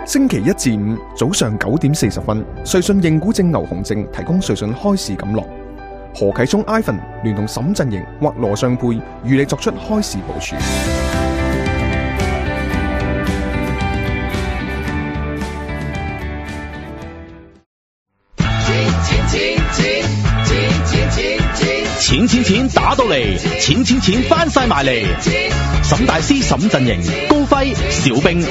星期一至五早上9點40分，瑞信認股證牛熊證提供瑞信開市錦囊。何啟聰 Ivan 聯同沈振盈或羅尚沛與你作出開市部署。錢打到嚟，錢翻晒埋嚟。沈大師、沈振盈、高輝、小兵。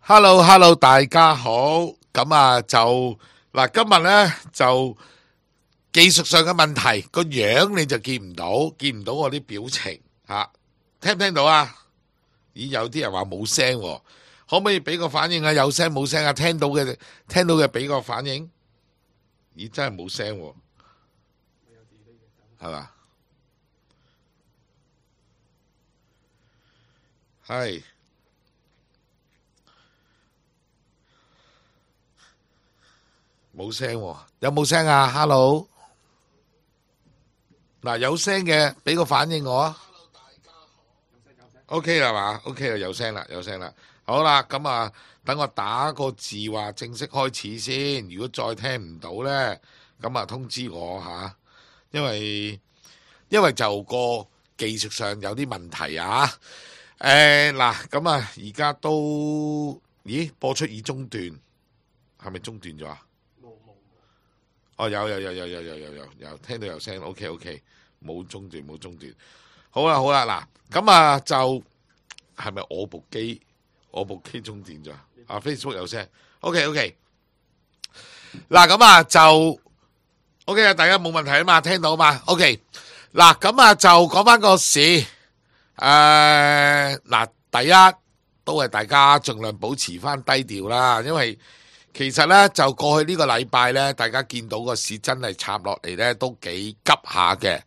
Hello， 大家好。咁啊，就嗱，今日咧就技術上嘅問題，個樣你就見唔到我啲表情吓，聽唔聽到啊？咦，有啲人話冇聲喎。可唔可以俾個反應啊？有聲冇聲啊？聽到嘅俾個反應。咦，真係冇聲喎，係嘛？係冇聲喎，有冇聲啊 ？Hello， 嗱，有聲嘅俾個反應我啊。Hello， 大家好。OK 啦嘛 ？OK 啦，有聲啦。好啦，咁啊，等我打個字話正式開始先。如果再聽唔到呢，咁啊通知我吓，因為就個技術上有啲問題啊。嗱，咁啊，而家都播出已中斷，係咪中斷咗啊？冇。哦，有，聽到有聲。OK， 冇中斷。好啦，嗱，咁啊就係咪我部機中斷咗啊 ？Facebook 有聲，OK。嗱，咁啊就 OK 啊，大家冇問題啊嘛，聽到嘛 ？OK。嗱，咁啊就講翻個市，嗱，第一都係大家盡量保持翻低調啦，因為其實呢，就過去呢個禮拜呢，大家見到個市真係插落嚟呢，都幾急下嘅。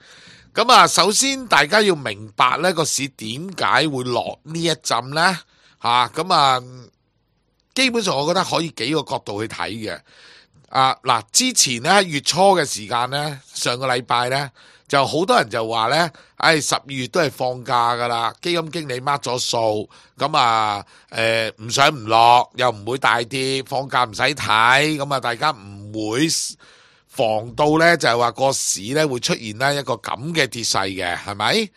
咁啊，首先大家要明白呢個市點解會落呢一陣呢？咁啊，基本上我覺得可以幾個角度去睇嘅。嗱，之前咧月初嘅時間咧，上個禮拜咧，就好多人就話咧，12月都係放假噶啦，基金經理 mark 咗數，咁啊，唔上唔落，又唔會大跌，放假唔使睇，咁啊，大家唔會防到咧，就係話個市咧會出現咧一個咁嘅跌勢嘅，係咪？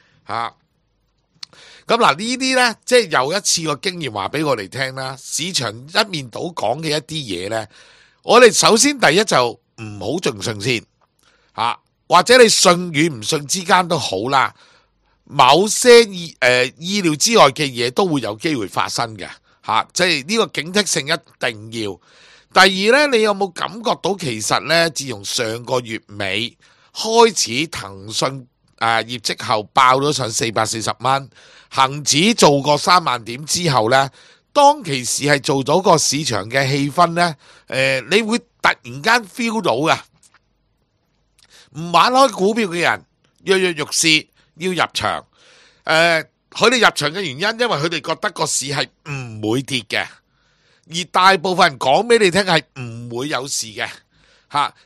咁嗱，呢啲呢，即係又一次個經驗話俾我哋聽啦。市場一面倒講嘅一啲嘢呢，我哋首先第一就唔好盡信先，或者你信與唔信之間都好啦。某些意料之外嘅嘢都會有機會發生嘅，即係呢個警惕性一定要。第二呢，你有冇感覺到其實呢，自從上個月尾開始騰訊業績後爆咗上440蚊。恒指做過3萬點之後呢，當其時係做到個市場嘅氣氛呢，你會突然間 feel 到嘅，唔玩開股票嘅人躍躍欲試要入場，佢哋入場嘅原因，因為佢哋覺得個市係唔會跌嘅，而大部分人講俾你聽係唔會有事嘅，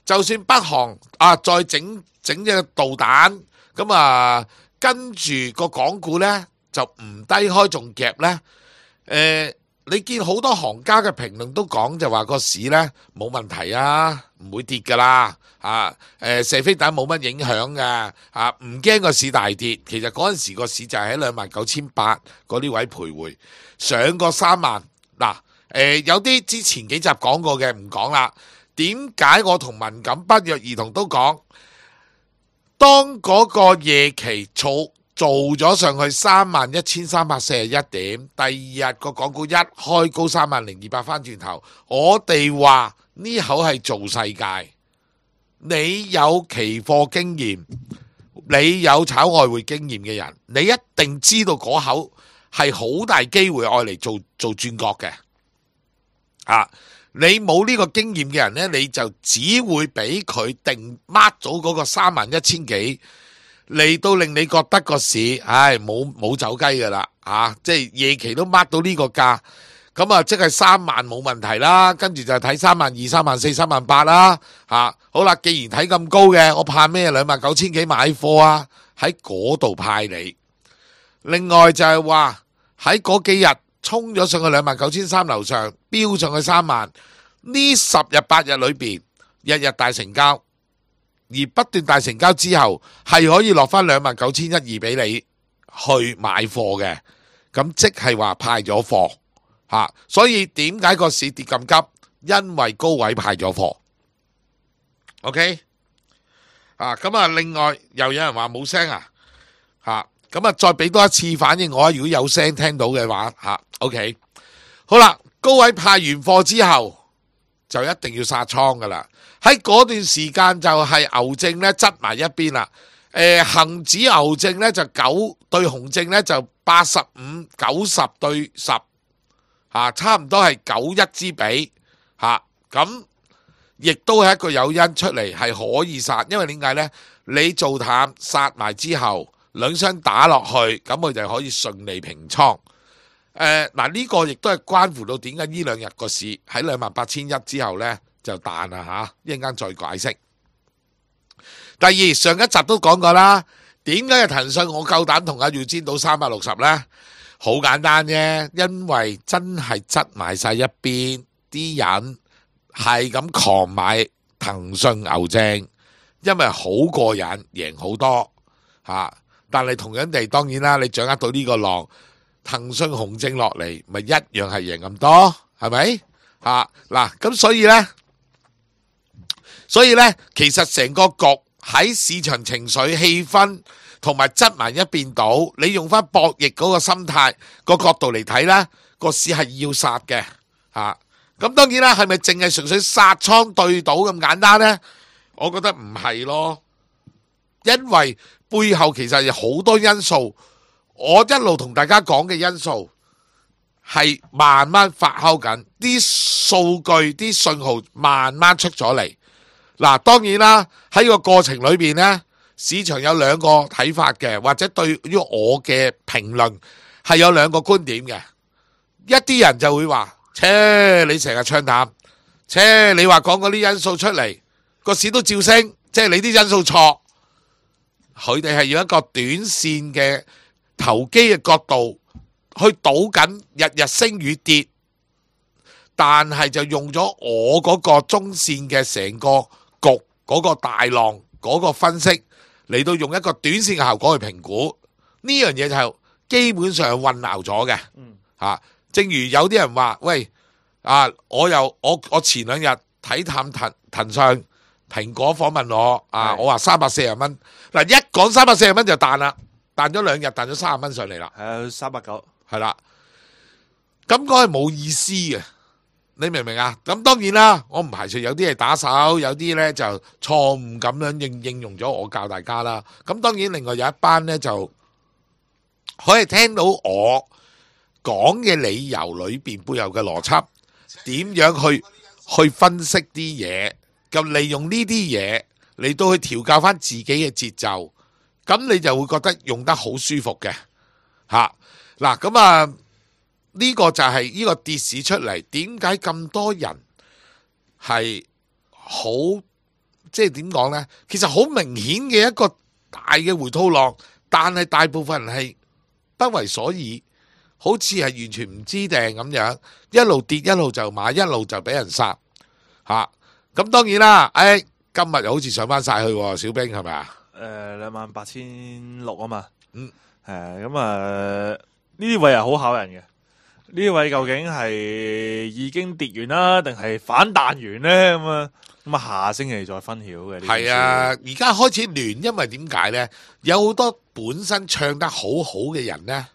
就算北韓再整隻導彈，咁啊跟住個港股呢。就唔低開仲夾呢。你見好多行家嘅評論都講就話個市呢冇問題啊，唔會跌噶啦，射飛彈冇乜影響噶，唔驚個市大跌。其實嗰陣時個市就係喺29,800嗰啲位徘徊，上過3萬。嗱，有啲之前幾集講過嘅唔講啦。點解我同文錦不約而同都講，當嗰個夜期做咗上去31,341點，第二日個港股一開高30,200翻轉頭，我哋話呢口係做世界。你有期貨經驗，你有炒外匯經驗嘅人，你一定知道嗰口係好大機會愛嚟做轉角嘅。你冇呢個經驗嘅人呢，你就只會俾佢定 mark 咗嗰個31,000幾。嚟到令你覺得個市，冇走雞噶啦，即係夜期都 mark 到呢個價，咁啊即係3萬冇問題啦，跟住就睇32,000、34,000、38,000啦，好啦，既然睇咁高嘅，我怕咩？29,000幾買貨啊，喺嗰度派你。另外就係話喺嗰幾日衝咗上去29,300樓上，飆上去3萬，呢10日8日裏邊，日日大成交，而不斷大成交之後，係可以落翻29,120俾你去買貨嘅，咁即係話派咗貨吓，所以點解個市跌咁急？因為高位派咗貨。OK， 咁啊，另外又有人話冇聲啊，咁啊，再俾多一次反應我，如果有聲聽到嘅話，OK， 好啦，高位派完貨之後就一定要殺倉噶啦，喺嗰段時間就係牛證咧執埋一邊啦，恒指牛證咧就9對熊證咧就85、90對10，差唔多係91之比，咁亦都係一個誘因出嚟係可以殺，因為點解呢？你做淡殺埋之後，兩雙打落去，咁佢就可以順利平倉。呢個亦都係關乎到點解呢兩日個市喺28,100之後呢就彈啦嚇，一陣間再解釋。第二，上一集都講過啦，點解騰訊我夠膽同阿耀堅到360呢？好簡單啫，因為真係執埋晒一邊，啲人係咁狂買騰訊牛證，因為好過癮，贏好多嚇。但係同樣地，當然啦，你掌握到呢個浪，騰訊熊證落嚟，咪一樣係贏咁多，係咪？咁所以呢，其實成個局喺市場情緒氣氛同埋執埋一邊倒，你用翻博弈嗰個心態個角度嚟睇啦，個市係要殺嘅咁當然啦，係咪淨係純粹殺倉對賭咁簡單呢？我覺得唔係咯，因為背後其實有好多因素，我一路同大家講嘅因素係慢慢發酵緊，啲數據、啲信號慢慢出咗嚟。當然啦，喺個過程裏邊呢，市場有兩個睇法嘅，或者對於我嘅評論係有兩個觀點嘅。一啲人就會話：你成日唱淡，你話講嗰啲因素出嚟，個市都照升，即係你啲因素錯。佢哋係用一個短線嘅投機嘅角度去賭緊日日升與跌，但係就用咗我嗰個中線嘅成個局嗰個大浪嗰個分析嚟到用一個短線嘅效果去評估呢樣嘢，就基本上混淆咗嘅。正如有啲人話：喂，我前兩日睇淡騰訊蘋果訪問我，我話340蚊，一講340蚊就彈啦，彈咗兩日，彈咗30蚊上嚟啦。390係啦，咁講係冇意思嘅，你明唔明啊？咁當然啦，我唔排除有啲係打手，有啲呢就錯誤咁樣應用咗我教大家啦。咁當然另外有一班呢，就可以聽到我講嘅理由裏邊背後嘅邏輯，點樣去分析啲嘢，咁利用呢啲嘢嚟到去調教翻自己嘅節奏，咁你就會覺得用得好舒服嘅。呢個就係呢個跌市出嚟，點解咁多人係好，即係點講呢？其實好明顯嘅一個大嘅回吐浪，但係大部分人係不為所以，好似係完全唔知定咁樣，一路跌一路就買，一路就俾人殺咁當然啦，今日又好似上翻晒去，小兵係咪啊？28,600啊嘛，咁呢啲位係好考人嘅。呢位究竟係已經跌完啦，定係反彈完呢？咁下星期再分曉嘅。係啊，而家開始亂，因為點解呢？有好多本身唱得好好嘅人呢，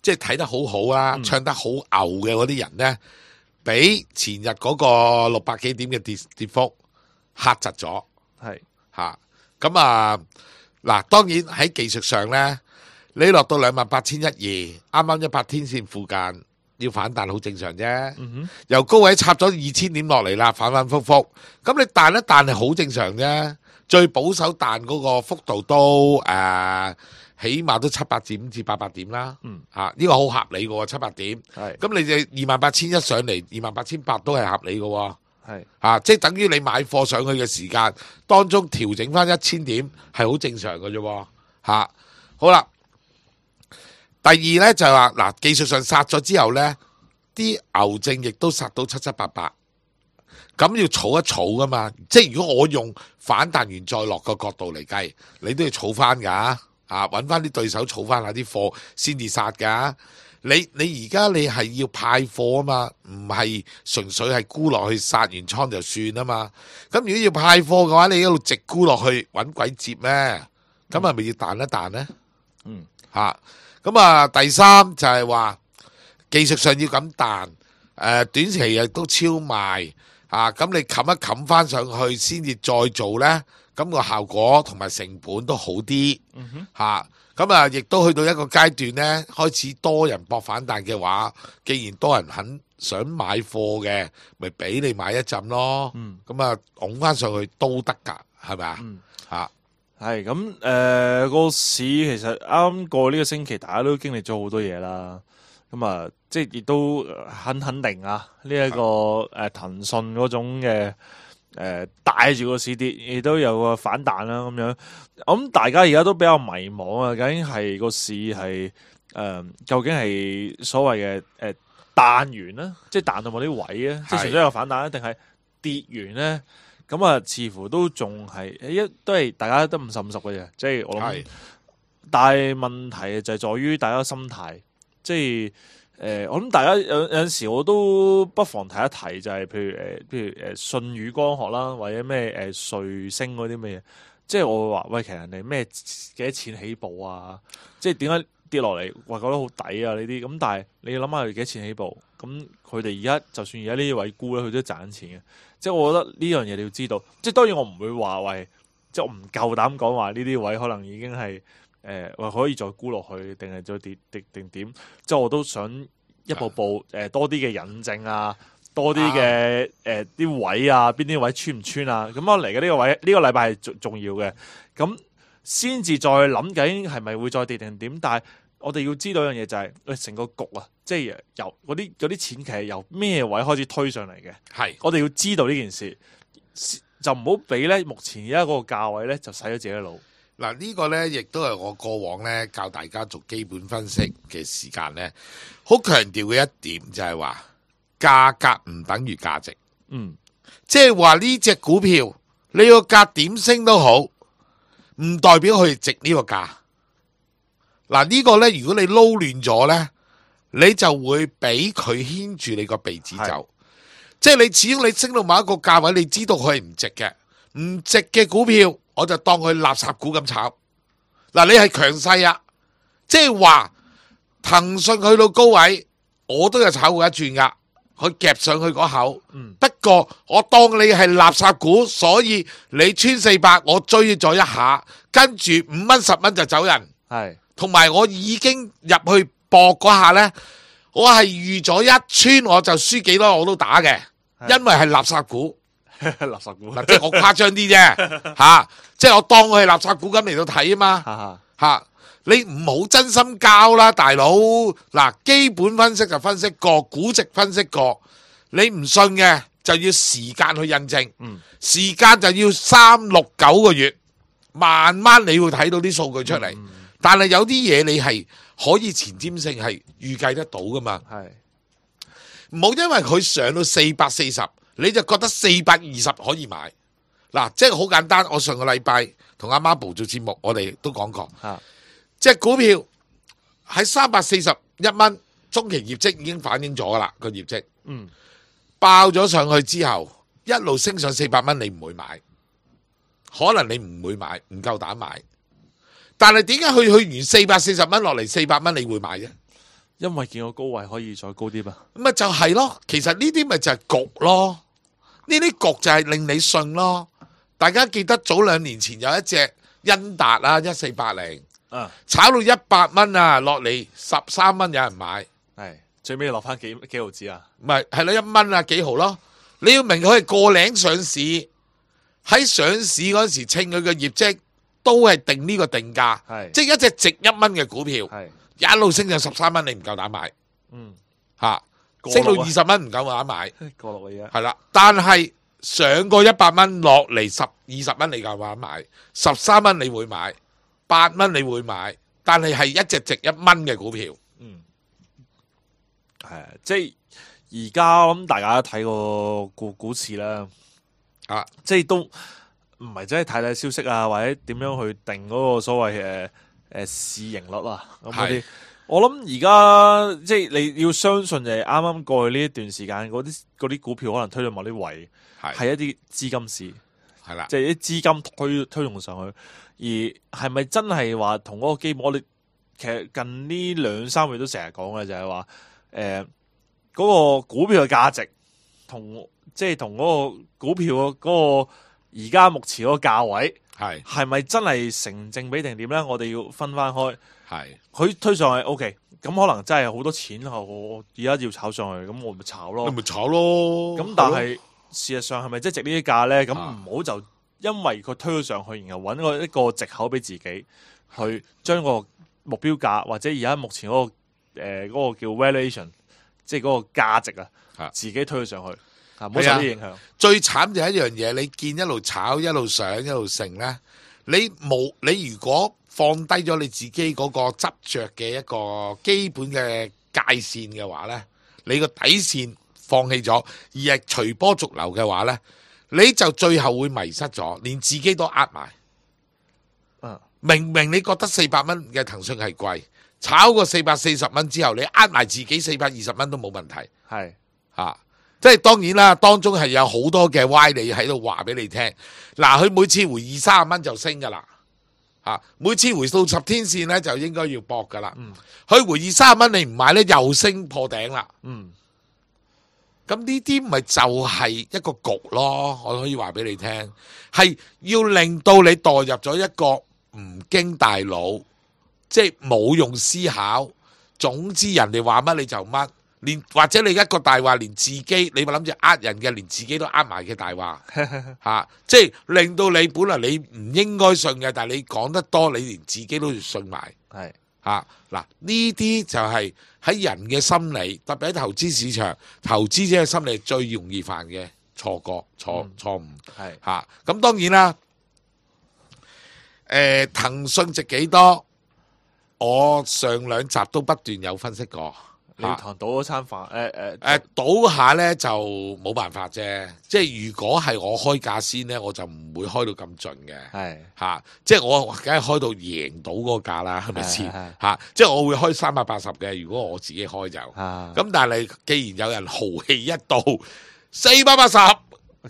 即係睇得好好啦，唱得好牛嘅嗰啲人呢，俾前日嗰個600幾點嘅跌幅嚇窒咗。係咁當然喺技術上呢，你落到28,120，啱啱100天線附近。要反彈好正常啫，由高位插咗2000點落嚟啦，反反复复，咁你彈一彈係好正常啫。最保守彈嗰個幅度都起碼都700點至800點啦，呢個好合理嘅700點。咁你就28,100上嚟，28,800都係合理嘅，即係等於你買貨上去嘅時間當中調整翻1000點係好正常嘅啫。好啦。第二咧就係話嗱，技術上殺咗之後咧，啲牛證亦都殺到七七八八，咁要儲一儲噶嘛。即係如果我用反彈完再落個角度嚟計，你都要儲翻噶，揾翻啲對手儲翻下啲貨先至殺噶。你而家你係要派貨啊嘛，唔係純粹係沽落去殺完倉就算啊嘛。咁如果要派貨嘅話，你一路直沽落去揾鬼接咩？咁係咪要彈一彈呢？咁第三就係話技術上要咁彈，短期亦都超賣咁你冚一冚翻上去先至再做呢，咁個效果同埋成本都好啲咁亦都去到一個階段呢，開始多人搏反彈嘅話，既然多人肯想買貨嘅，咪俾你買一陣咯。咁拱翻上去都得㗎，係咪啊？係咁個市其實啱過呢個星期，大家都經歷咗好多嘢啦。咁即係亦都肯定啊，呢一個騰訊嗰種嘅帶住個市跌，亦都有個反彈啦咁樣。咁大家而家都比較迷茫啊，究竟係個市係究竟係所謂嘅彈完啦，即係彈到某啲位啊，即係純粹有反彈，定係跌完咧？咁似乎都仲係都係大家都50-50嘅啫。即係我諗，但係問題就係在於大家心態，即係我諗大家有陣時我都不妨提一提，就係譬如舜宇光學啦，或者咩瑞星嗰啲咩嘢，即係我會話喂，其實人哋咩幾多錢起步啊？即係點解跌落嚟話覺得好抵啊？呢啲咁，但係你要諗下佢幾多錢起步，咁佢哋而家就算而家呢啲位沽咧，佢都賺錢嘅。即係我覺得呢樣嘢你要知道，即係當然我唔會話喂，即係我唔夠膽講話呢啲位可能已經係可以再沽落去，定係再跌定點？即係我都想一步步多啲嘅引證啊，多啲嘅啲位啊，邊啲位穿唔穿啊？咁我嚟嘅呢個位，呢個禮拜係重要嘅，咁先至再諗究竟係咪會再跌定點？但係我哋要知道一樣嘢就係，成個局啊，即係由嗰啲錢其實由咩位開始推上嚟嘅。係，我哋要知道呢件事，就唔好俾咧目前而家嗰個價位咧就洗咗自己腦。嗱，呢個咧亦都係我過往咧教大家做基本分析嘅時間咧，好強調嘅一點就係話價格唔等於價值。即係話呢隻股票你個價點升都好，唔代表佢值呢個價。嗱，呢個咧，如果你撈亂咗咧，你就會俾佢牽住你個鼻子走。即係你始終你升到某一個價位，你知道佢係唔值嘅，唔值嘅股票，我就當佢垃圾股咁炒。嗱，你係強勢啊，即係話騰訊去到高位，我都有炒過一轉噶，佢夾上去嗰口。不過我當你係垃圾股，所以你穿400，我追咗一下，跟住5蚊10蚊就走人。係。同埋我已經入去搏嗰下呢，我係預咗一穿我就輸幾多我都打嘅，因為係垃圾股。垃圾股嗱，即係我誇張啲啫，即係我當佢係垃圾股咁嚟到睇啊嘛，你唔好真心交啦，大佬。嗱，基本分析就分析過，估值分析過，你唔信嘅就要時間去印證，時間就要3、6、9個月，慢慢你會睇到啲數據出嚟。但係有啲嘢你係可以前瞻性係預計得到噶嘛？係唔好因為佢上到440，你就覺得420可以買。嗱，即係好簡單。我上個禮拜同阿媽寶做節目，我哋都講過，即係股票喺341蚊，中期業績已經反映咗啦個業績，爆咗上去之後，一路升上400蚊，你唔會買，可能你唔會買，唔夠膽買。但係點解去完440蚊落嚟400蚊你會買啫？因為見個高位可以再高啲嘛。咁咪就係咯，其實呢啲咪就係局咯，呢啲局就係令你信咯。大家記得早2年前有一隻恩達啊1480，炒到100蚊啊，落嚟13蚊有人買，係最尾落翻幾毫子啊？唔係，係啦1蚊啊幾毫咯。你要明佢係個零上市，喺上市嗰時稱佢嘅業績。都係定呢個定價，即係一隻值1蚊嘅股票，一路升到13蚊，你唔夠膽買，升到20蚊唔夠膽買，過落嘅嘢係啦。但係上過100蚊落嚟20蚊，你夠膽買，13蚊你會買，8蚊你會買，但係一隻值1蚊嘅股票。係啊，即係而家我諗大家睇個股市啦，即係都唔係真係睇消息啊，或者點樣去定嗰個所謂市盈率啊咁嗰啲。我諗而家即係你要相信就係啱啱過去呢一段時間嗰啲股票可能推到某啲位，係一啲資金市，係啦，即係啲資金推動上去，而係咪真係話同嗰個基本？我哋其實近呢2-3個月都成日講嘅就係話，嗰個股票嘅價值同嗰個股票嗰個而家目前嗰個價位係咪真係成正比定點咧？我哋要分翻開。佢推上去 OK， 咁可能真係好多錢，我而家要炒上去，咁我咪炒咯。你咪炒咯。咁但係事實上係咪真係值呢啲價咧？咁唔好就因為佢推咗上去，然後揾一個藉口俾自己去將個目標價或者而家目前嗰個叫 valuation， 即係嗰個價值啊，自己推咗上去，唔好受啲影響。最慘就係一樣嘢，你見一路炒一路上一路升咧，你如果放低咗你自己嗰個執着嘅一個基本嘅界線嘅話呢，你個底線放棄咗，而係隨波逐流嘅話呢，你就最後會迷失咗，連自己都呃埋。明明你覺得400蚊嘅騰訊係貴，炒過440蚊之後，你呃埋自己420蚊都冇問題。即係當然啦，當中係有好多嘅歪理喺度話俾你聽。嗱，佢每次回20-30蚊就升噶啦。每次回到10天線咧，就應該要搏噶啦。佢回20-30蚊，你唔買咧，又升破頂啦。咁呢啲咪就係一個局咯。我可以話俾你聽，係要令到你墮入咗一個唔經大腦，即係冇用思考。總之人哋話乜你就乜，或者你一個大話，連自己你咪諗住呃人嘅，連自己都呃埋嘅大話。即係令到你本來你唔應該信嘅，但係你講得多，你連自己都信埋。嗱，呢啲就係喺人嘅心理，特別喺投資市場，投資者嘅心理最容易犯嘅錯誤。咁當然啦，騰訊值幾多？我上2集都不斷有分析過。你堂賭咗餐飯，賭下咧就冇辦法啫。即係如果係我開價先咧，我就唔會開到咁盡嘅。即係我梗係開到贏到嗰個價啦，係咪先？即係我會開380嘅。如果我自己開就咁，但係既然有人豪氣一到480，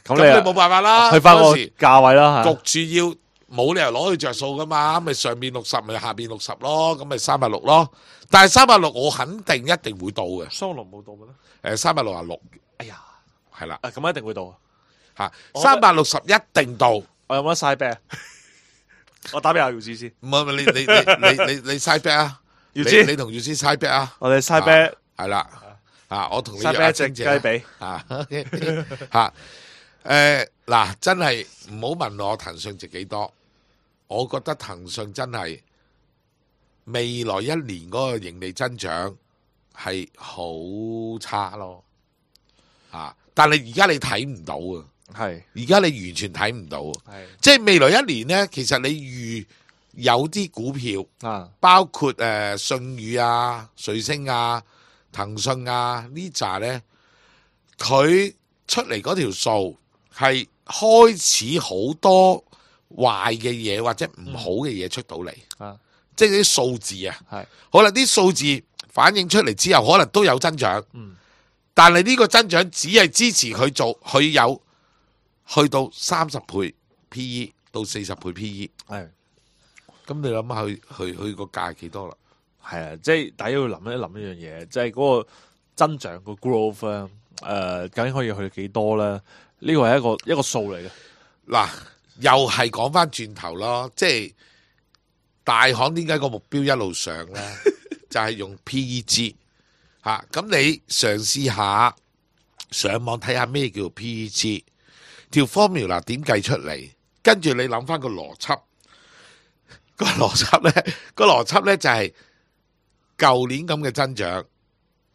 咁你冇辦法啦。去翻個價位啦，焗住要冇理由攞去着數噶嘛。咪上面60，咪下邊60咯，咁咪360咯。但係360我肯定一定會到嘅。360冇到嘅咩？366。哎呀，係啦。咁一定會到。360一定到。我有冇得嘥啤？我打俾阿姚子先。唔係你嘥啤啊？姚子，你同姚子嘥啤啊？我哋嘥啤。係啦。我同你嘥啤一隻雞髀。嗱，真係唔好問我騰訊值幾多。我覺得騰訊真係。未來1年嗰個盈利增長係好差咯，但係而家你睇唔到啊，而家你完全睇唔到，即係未來1年呢，其實你預有啲股票，包括信宇啊、瑞星啊、騰訊啊呢扎呢，佢出嚟嗰條數係開始好多壞嘅嘢或者唔好嘅嘢出到嚟。即係啲數字啊，好啦，啲數字反映出嚟之後，可能都有增長，但係呢個增長只係支持佢做，佢有去到30倍 PE 到40倍 PE，咁你諗下佢個價係幾多啦？即係大家要諗一諗一樣嘢，即係嗰個增長個 growth 究竟可以去到幾多咧？呢個係一個數嚟嘅。嗱，又係講翻轉頭咯，即係。大行點解個目標一路上呢？就係用 PEG 咁你嘗試下上網睇下咩叫 PEG 條 formula 點計出嚟，跟住你諗翻個邏輯，個邏輯呢就係舊年咁嘅增長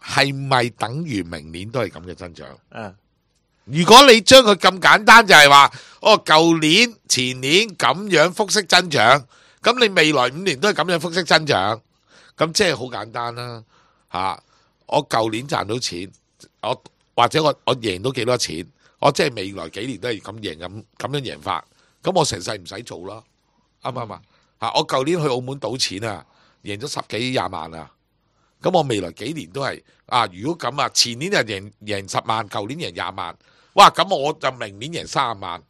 係咪等於明年都係咁嘅增長？如果你將佢咁簡單就係話，舊年前年咁樣複式增長。咁你未來5年都係咁樣複息增長，咁即係好簡單啦嚇。我舊年賺到錢，或者我贏到幾多錢，我即係未來幾年都係咁贏咁樣贏法，咁我成世唔使做啦，啱唔啱啊？嚇！我舊年去澳門賭錢啊，贏咗10幾20萬啊，咁我未來幾年都係啊。如果咁啊，前年就贏10萬，舊年贏20萬，哇！咁我就明年贏30萬，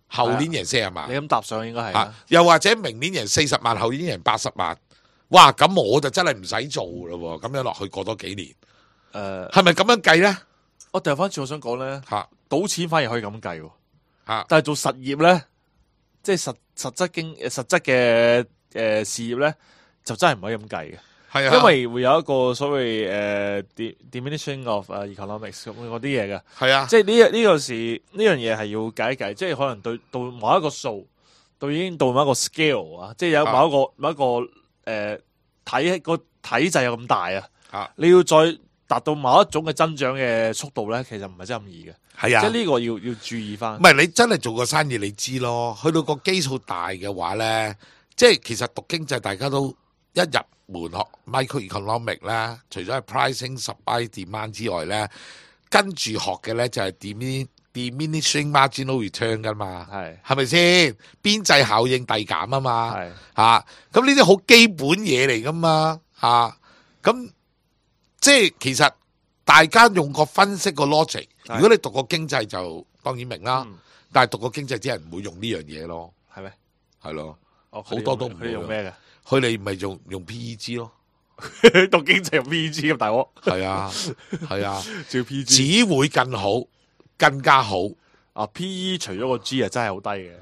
後年贏40萬。你咁搭上應該係啊，又或者明年贏40萬，後年贏80萬，哇！咁我就真係唔使做咯喎，咁樣落去過多幾年，係咪咁樣計咧？我掉翻轉，我想講咧，賭錢反而可以咁計喎，但係做實業咧，即係實質嘅事業咧，就真係唔可以咁計嘅。係啊，因為會有一個所謂diminishing of economics 咁嗰啲嘢嘅。係啊，即係呢樣嘢係要計一計，即係可能到某一個數，已經到某一個 scale 啊，即係有某一個體制有咁大啊，你要再達到某一種嘅增長嘅速度咧，其實唔係真係咁易嘅。係啊，即係呢個要注意翻。唔係你真係做個生意，你知咯。去到個基數大嘅話咧，即係其實讀經濟大家都一入門學 microeconomic 啦，除咗係 pricing supply demand 之外咧，跟住學嘅咧就係diminishing marginal return 噶嘛。係咪先？邊際效應遞減啊嘛。係嚇，咁呢啲好基本嘢嚟噶嘛。嚇，咁。即係其實大家用個分析個 logic， 如果你讀過經濟就當然明啦，但係讀過經濟啲人唔會用呢樣嘢咯，係咩？係咯，好多都唔會用咩嘅，佢哋咪用 PEG 咯，讀經濟用 PEG 咁大鑊，係啊係啊，照 PEG 只會更好，更加好啊 ！PE 除咗個 G 啊，真係好低嘅，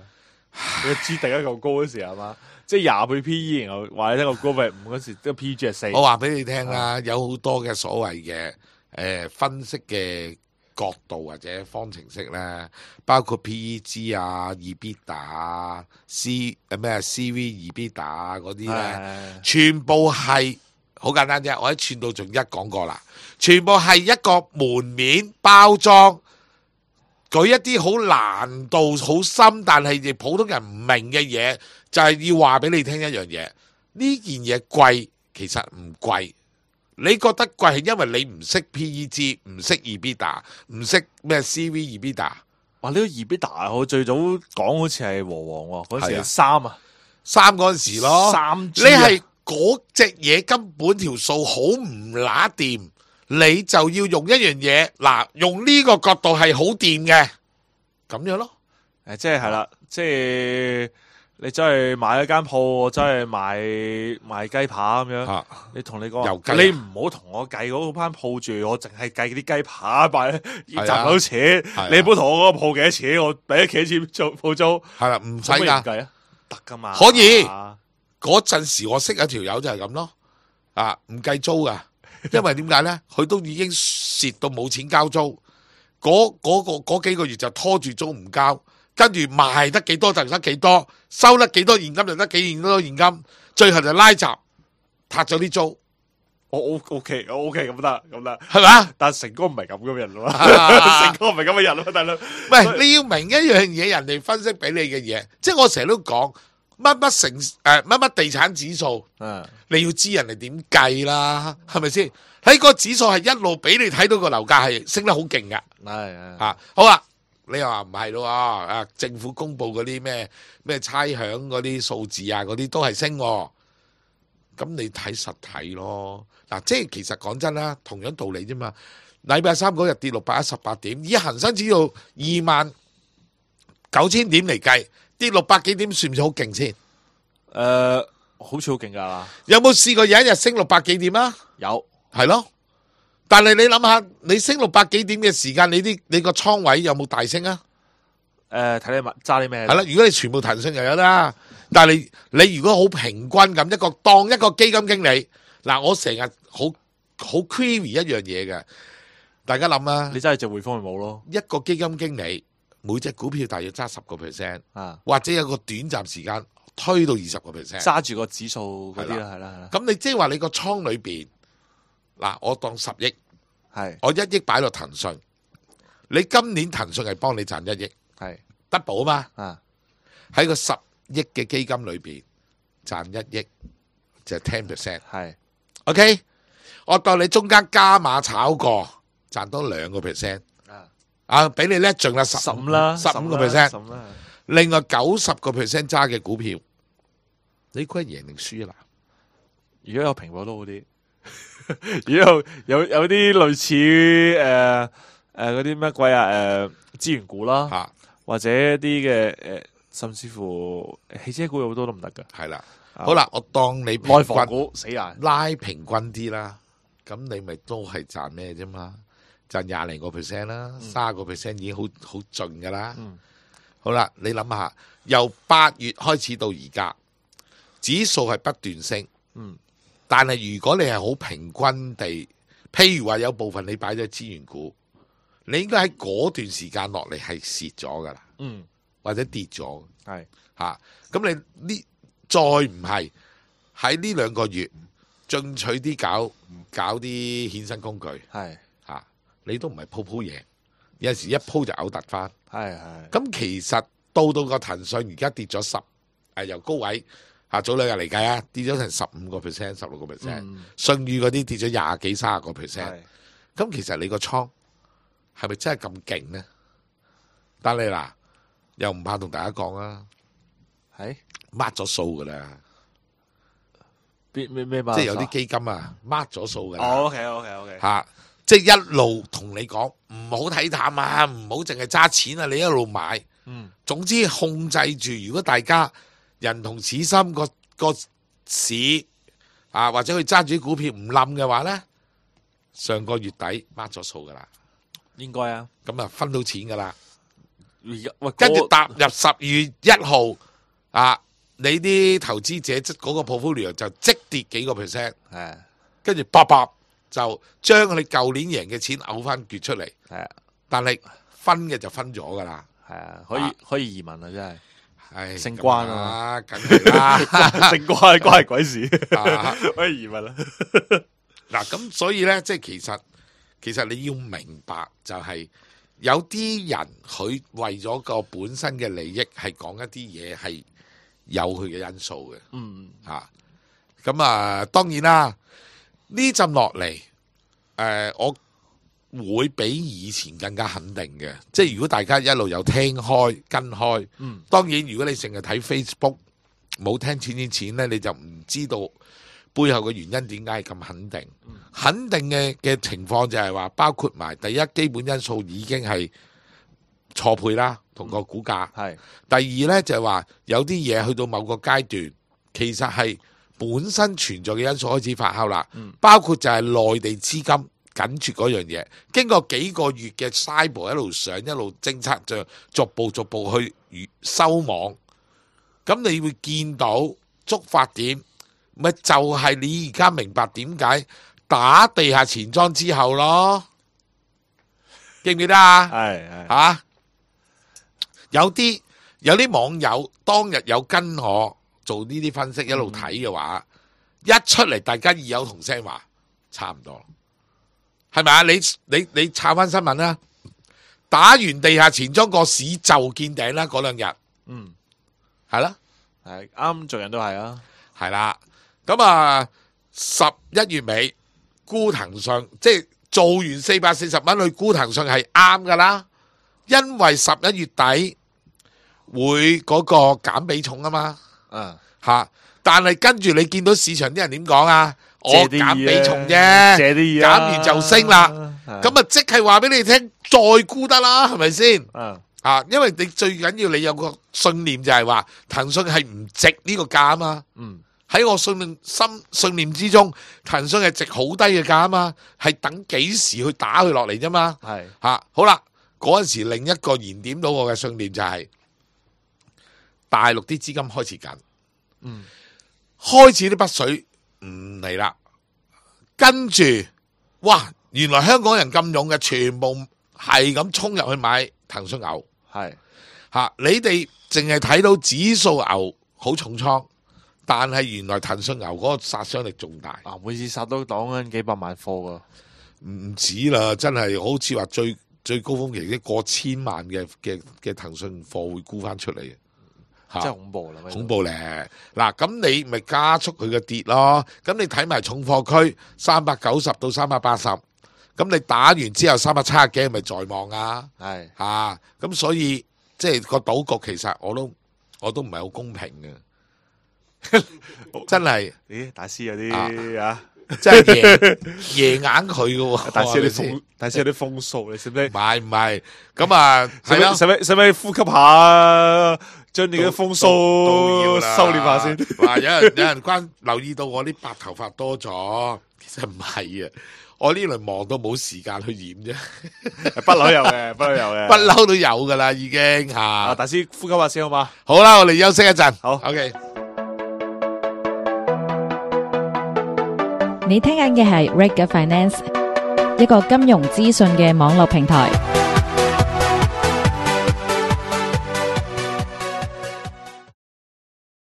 個 G 突然間咁高嗰時係嘛？即係20倍 PE， 然後話你聽個高係5嗰時，個 PEG 係4。我話俾你聽啦，有好多嘅所謂嘅分析嘅角度或者方程式咧，包括 PEG 啊、EBITDA 啊、CV EBITDA 啊嗰啲咧，全部係好簡單啫。我喺串到仲講過啦，全部係一個門面包裝，舉一啲好難度好深，但係亦普通人唔明嘅嘢。就係要話俾你聽一樣嘢，呢件嘢貴其實唔貴，你覺得貴係因為你唔識 PEG， 唔識 EBITDA， 唔識咩 CV EBITDA。哇！呢個 EBITDA 我最早講好似係和黃喎，嗰時係3嗰陣時咯。你係嗰隻嘢根本條數好唔乸掂，你就要用一樣嘢嗱，用呢個角度係好掂嘅，咁樣咯。即係啦，即係。你真係買一間鋪，真係賣雞扒咁樣。你同你講，你唔好同我計嗰間鋪住，我淨係計啲雞扒賣賺到錢。你唔好同我嗰個鋪幾多錢，我俾幾多錢做鋪租。係啦，唔使噶，得噶嘛。可以嗰陣時我識一條友就係咁咯。唔計租噶，因為點解咧？佢都已經蝕到冇錢交租，嗰幾個月就拖住租唔交。跟住賣得幾多就得幾多，收得幾多現金就得幾多現金，最後就拉閘，撻咗啲租。我 OK 咁得，係嘛？但係成哥唔係咁嘅人咯，成哥唔係咁嘅人咯，大佬。唔係你要明一樣嘢，人哋分析俾你嘅嘢，即係我成日都講乜地產指數，你要知人哋點計啦，係咪先？喺個指數係一路俾你睇到個樓價係升得好勁噶，係好啦。你又話唔係咯？政府公布嗰啲咩差餉嗰啲數字啊，嗰啲都係升，咁你睇實體咯。嗱，即係其實講真啦，同樣道理啫嘛。禮拜3嗰日跌618點，以恒生指數29000點嚟計，跌600幾點，算唔算好勁先？好似好勁噶。有冇試過有一日升600幾點啊？有，係咯。但係你諗下，你升600幾點嘅時間，你個倉位有冇大升啊？睇你揸啲咩？係啦，如果你全部騰訊又有啦，但係你如果好平均咁當一個基金經理，嗱，我成日好 query 一樣嘢嘅，大家諗啊，你真係隻匯豐咪冇咯？一個基金經理每隻股票大約揸10%，或者有個短暫時間推到20%，揸住個指數嗰啲啦，係啦。咁你即係話你個倉裏邊？嗱，我當10億，我1億擺落騰訊，你今年騰訊係幫你賺1億，double 啊嘛，喺個10億嘅基金裏邊，賺1億，就係 10%。係 OK， 我當你中間加碼炒過，賺多2%。俾你叻盡啦15啦，15%。 15啦。另外90% 揸嘅股票，你估係贏定輸啊？如果有蘋果都好啲，如果有啲類似嗰啲乜鬼資源股啦，嚇，或者一啲嘅甚至乎汽車股有好多都唔得噶。係啦。好啦，我當你平內房均股死硬，拉平均啲啦，咁你咪都係賺咩啫嘛？賺20零個 percent 啦，30個 percent 已經好盡噶啦。好啦，你諗下，由8月開始到而家，指數係不斷升。但係如果你係好平均地，譬如話有部分你擺咗資源股，你應該喺嗰段時間落嚟係蝕咗噶啦，或者跌咗。係嚇，咁你呢再唔係喺呢2個月進取啲搞啲衍生工具，係嚇，你都唔係鋪贏，有陣時一鋪就嘔突翻。係咁其實到個騰訊而家跌咗由高位早2日嚟計啊，跌咗成15% 16%，信譽嗰啲跌咗20幾30個 percent。咁其實你個倉係咪真係咁勁呢？但你嗱又唔怕同大家講啊，係抹咗數噶啦，咩即係有啲基金啊抹咗數噶啦。OK 嚇，即係一路同你講唔好睇淡啊，唔好淨係揸錢啊，你一路買。總之控制住，如果大家人同此心個市或者佢揸住啲股票唔冧嘅話咧，上個月底抹咗數噶啦，應該啊。咁啊分到錢噶啦。喂，跟住踏入12月1號你啲投資者嗰個 portfolio 就即跌幾個 percent， 跟住卜就將你舊年贏嘅錢嘔翻撅出嚟。但係分嘅就分咗噶啦。可以移民啊，真係。係升關啊，梗係啦，升關係鬼事，可以移民啦。嗱，咁所以咧，即係其實你要明白，就係有啲人佢為咗個本身嘅利益，係講一啲嘢係有佢嘅因素嘅。咁當然啦，呢陣落嚟，我會比以前更加肯定嘅，即係如果大家一路有聽開跟開，當然如果你成日睇 Facebook 冇聽錢呢，你就唔知道背後嘅原因點解係咁肯定。肯定嘅情況就係話，包括埋第一基本因素已經係錯配啦，同個股價。第二呢，就係話有啲嘢去到某個階段，其實係本身存在嘅因素開始發酵啦，包括就係內地資金緊住嗰樣嘢，經過幾個月嘅 cyber 一路上一路政策，就逐步去收網。咁你會見到觸發點，咪就係你而家明白點解打地下錢莊之後咯，記唔記得啊？係有啲網友當日有跟我做呢啲分析，一路睇嘅話，一出嚟大家異有同聲話差唔多。係咪啊？你查翻新聞啦，打完地下錢莊個市就見頂啦，嗰2日，係啦，係啱，做人都係啊，係啦。咁11月尾沽騰訊，即係做完440蚊去沽騰訊係啱噶啦，因為11月底會嗰個減比重啊嘛，但係跟住你見到市場啲人點講啊？我減比重啫，減完就升啦。咁即係話俾你聽，再沽得啦，係咪先？因為你最緊要你有個信念就係話騰訊係唔值呢個價啊嘛。喺我信念之中，騰訊係值好低嘅價啊嘛，係等幾時去打佢落嚟啫嘛。好啦，嗰陣時另一個燃點到我嘅信念就係大陸啲資金開始緊，開始啲北水唔嚟啦，跟住哇，原來香港人咁勇嘅，全部係咁衝入去買騰訊牛，你哋淨係睇到指數牛好重倉，但係原來騰訊牛嗰個殺傷力仲大，每次殺都擋緊幾百萬貨噶，唔止啦，真係好似話最高峰期啲過千萬嘅騰訊貨會沽翻出嚟。嚇真係恐怖啦！恐怖咧。嗱，咁你咪加速佢嘅跌咯。咁你睇埋重貨區390到380，咁你打完之後370幾咪在望啊？係嚇，咁所以即係個賭局其實我都唔係好公平嘅，真係。咦，大師有啲啊，真係贏硬佢嘅喎，大師有啲係咪風，大師有啲風數，你識唔識？唔係，咁啊係咯，使唔使呼吸下，將你嘅風都要啦數收斂下先？話有人留意到我啲白頭髮多咗，其實唔係啊，我呢輪忙到冇時間去染啫，不嬲有嘅，不嬲有嘅，不嬲都有噶啦，已經吓。啊，大師呼吸下先好嘛？好啦，我哋休息一陣。好，OK。你聽緊嘅係 Reg Finance，一個金融資訊嘅網絡平台。